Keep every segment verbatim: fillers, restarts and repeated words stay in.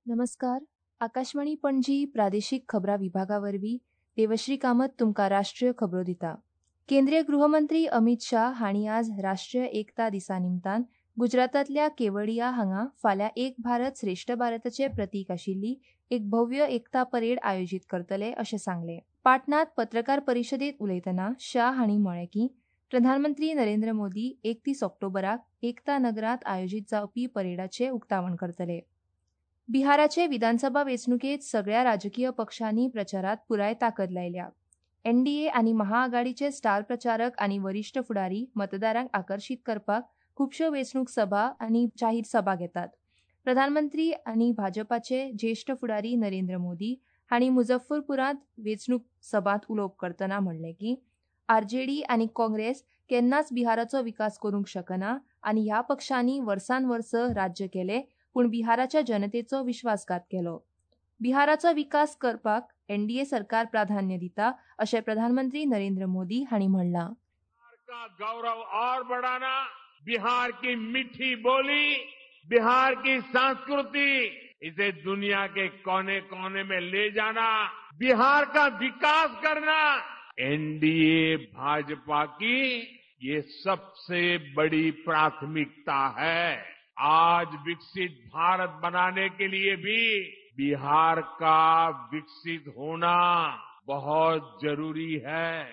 नमस्कार. आकाशवाणी पणजी प्रादेशीक खबरां विभागा वरवीं देवश्री कामत तुमकां राष्ट्रीय खबरो दिता. केंद्रीय गृहमंत्री अमित शाह हांणी आज राष्ट्रीय एकता दिसा निमतान गुजरातांतल्या केवडिया हांगा फाल्यां एक भारत श्रेष्ठ भारताचे प्रतीक आशिल्ली एक भव्य एकता परेड आयोजीत करतले अशें सांगलें. पाटणांत पत्रकार परिशदेंत उलयतना शाह हांणी म्हळें की प्रधानमंत्री नरेंद्र मोदी एकतीस ऑक्टोबराक एकता नगरांत आयोजीत जावपी परेडाचें उक्तावण करतले. बिहाराचे विधानसभा वेंचणुकेंत सगळ्या राजकीय पक्षांनी प्रचारात पुराय ताकद लायल्या. एनडीए आनी महाआघाडीचे स्टार प्रचारक आनी वरिश्ठ फुडारी मतदारांक आकर्शीत करपाक खुबश्यो वेंचणूक सभा आनी जाहीर सभा घेतात. प्रधानमंत्री आनी भाजपाचे ज्येश्ठ फुडारी नरेंद्र मोदी हांणी मुजफ्फरपुरांत वेंचणूक सभांत उलोवप करतना म्हणलें की आरजेडी आनी काँग्रेस केन्नाच बिहाराचो विकास करूंक शकना आनी ह्या पक्षांनी वर्सान वर्स राज्य केलें पूण बिहाराच्या जनतेचो विश्वासघात केलो. बिहाराचो विकास करपाक एनडीए सरकार प्राधान्य दिता अशें प्रधानमंत्री नरेंद्र मोदी हांणी म्हणलां. गौरव और बढ़ाना, बिहार की मीठी बोली, बिहार की संस्कृति, इसे दुनिया के कोने कोने में ले जाना, बिहार का विकास करना, एनडीए भाजपा की ये सबसे बड़ी प्राथमिकता है. आज विकसित भारत बनाने के लिए भी बिहार का विकसित होना बहुत जरूरी है.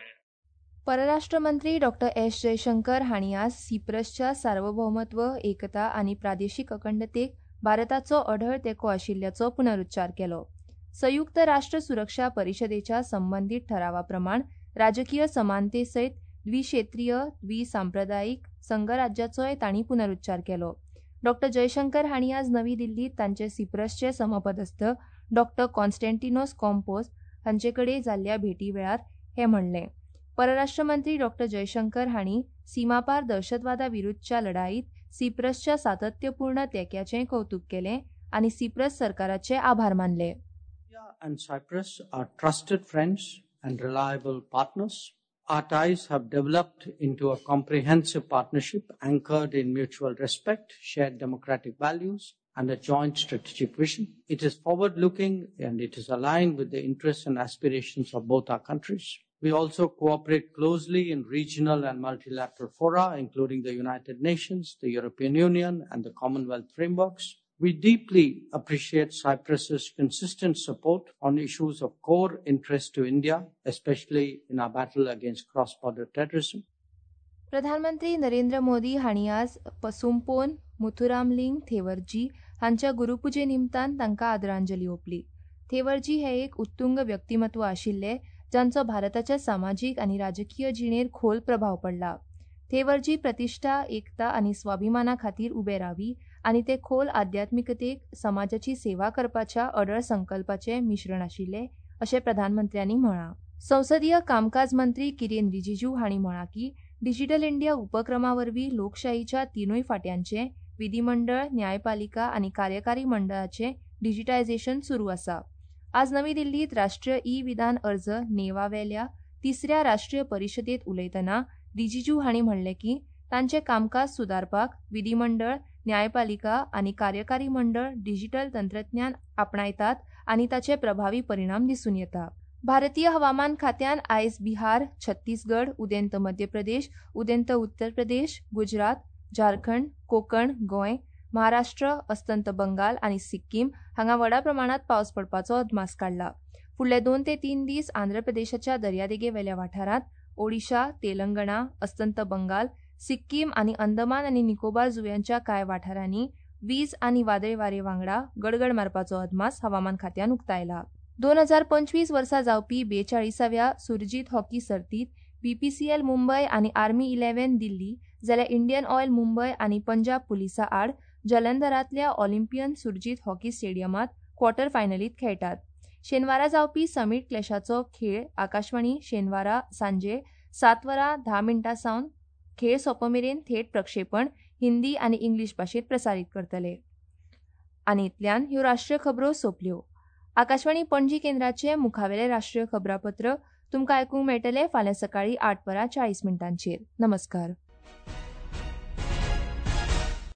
परराष्ट्र मंत्री डॉक्टर एस जयशंकर हांणी आज सिप्रसच्या सार्वभौमत्व, एकता आनी प्रादेशीक अखंडतेक भारताचो अढळ तेंको आशिल्ल्याचो पुनरुच्चार केलो. संयुक्त राष्ट्र सुरक्षा परिशदेच्या संबंदीत ठरावा प्रमाण राजकीय समानते सयत द्विक्षेत्रीय द्विसांप्रदायिक संघराज्याचोय तांणी पुनरुच्चार केलो. डॉक्टर जयशंकर हांणी आज नवी दिल्लीत तांचे सिप्रसचे समपदस्थ डॉक्टर कॉन्स्टँटिनोस कॉम्पोस हांचे कडेन जाल्ल्या भेटी वेळार हें म्हणलें. परराष्ट्र मंत्री डॉक्टर जयशंकर हांणी सीमापार दहशतवादा विरुद्धच्या लढाईत सिप्रसच्या सातत्यपूर्ण तेंक्याचें कौतुक केलें आनी सिप्रस सरकाराचे आभार मानले. India and Cyprus are trusted friends and reliable partners. Our ties have developed into a comprehensive partnership anchored in mutual respect, shared democratic values, and a joint strategic vision. It is forward-looking and it is aligned with the interests and aspirations of both our countries. We also cooperate closely in regional and multilateral fora, including the United Nations, the European Union, and the Commonwealth frameworks. We deeply appreciate Cyprus's consistent support on issues of core interest to India, especially in our battle against cross-border terrorism. प्रधानमंत्री नरेंद्र मोदी हांणी आज पसुमपोन मुथुरामलिंग थेवरजी हांच्या गुरुपुजे निमतान तांकां आदरांजली ओंपली. थेवरजी हे एक उत्तुंग व्यक्तिमत्व आशिल्ले जांचो भारताच्या सामाजीक आनी राजकीय जिणेर खोल प्रभाव पडला. थेवरजी प्रतिश्ठा, एकता आनी स्वाभिमाना खातीर उबे रावी आनी ते खोल आध्यात्मिकतेक समाजाची सेवा करपाच्या अडळ संकल्पाचें मिश्रण आशिल्लें अशें प्रधानमंत्र्यांनी म्हळां. संसदीय कामकाज मंत्री किरेन रिजिजू हांणी म्हळां की डिजिटल इंडिया उपक्रमा वरवीं लोकशाहीच्या तिनूय फांट्यांचें विधीमंडळ, न्यायपालिका आनी कार्यकारी मंडळाचें डिजिटायझेशन सुरू आसा. आज नवी दिल्लीत राष्ट्रीय ई विधान अर्ज नेवावेल्या तिसऱ्या राष्ट्रीय परिशदेंत उलयतना रिजिजू हांणी म्हणलें की तांचें कामकाज सुदारपाक विधीमंडळ, न्यायपालिका आनी कार्यकारी मंडळ डिजिटल तंत्रज्ञान आपणायतात आनी ताचे प्रभावी परिणाम दिसून येता. भारतीय हवामान खात्यान आयज बिहार, छत्तीसगड, उदेंत मध्य प्रदेश, उदेंत उत्तर प्रदेश, गुजरात, झारखंड, कोकण, गोंय, महाराष्ट्र, अस्तंत बंगाल आनी सिक्कीम हांगा व्हडा प्रमाणात पावस पडपाचो अदमास काडला. फुडले दोन ते तीन दीस आंध्र प्रदेशाच्या दर्यादेगेवेल्या वाठारांत, ओडिशा, तेलंगणा, अस्तंत बंगाल, सिक्कीम आनी अंदमान आनी निकोबार जुंव्यांच्या कांय वाठारांनी वीज आनी वादळी वारे वांगडा गडगड मारपाचो अदमास हवामान खात्यान उक्तायला. दोन हजार पंचवीस वर्सा जावपी बेचाळीसाव्या सुरजीत हॉकी सर्तीत बीपीसीएल मुंबय आनी आर्मी इलेव्हन दिल्ली जाल्यार इंडियन ऑयल मुंबय आनी पंजाब पुलिसा आड जलंधरांतल्या ऑलिम्पियन सुरजीत हॉकी स्टेडियमांत क्वॉर्टर फायनलीत खेळटात. शेनवारा जावपी समीट क्लॅशाचो खेळ आकाशवाणी शेनवारा सांजे सात वरां धा मिनटां सावन खेळ सोंपमेरेन थेट प्रक्षेपण हिंदी आनी इंग्लीश भाशेंत प्रसारीत करतले. आनी इतल्यान ह्यो राष्ट्रीय खबरो सोंपल्यो. आकाशवाणी पणजी केंद्राचे मुखावेले राष्ट्रीय खबरापत्र तुमकां आयकूंक मेळटलें फाल्यां सकाळीं आठ वरां चाळीस मिनटांचेर. नमस्कार.